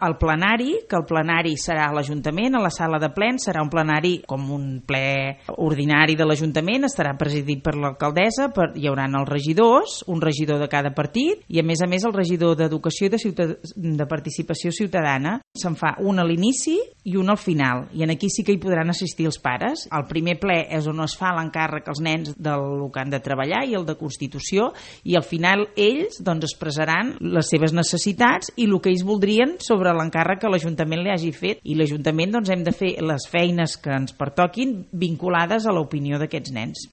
El plenari, que el plenari serà a l'Ajuntament, a la sala de plens, serà un plenari com un ple ordinari de l'Ajuntament, estarà presidit per l'alcaldessa, hi haurà els regidors, un regidor de cada partit, i a més el regidor d'Educació i de Participació Ciutadana. Se'n fa un a l'inici i un al final, i aquí sí que hi podran assistir els pares. El primer ple és on es fa l'encàrrec als nens del que han de treballar i el de Constitució, i al final ells expressaran les seves necessitats i el que ells voldrien sobre l'encàrrec que l'Ajuntament li hagi fet, i l'Ajuntament hem de fer les feines que ens pertoquin vinculades a l'opinió d'aquests nens.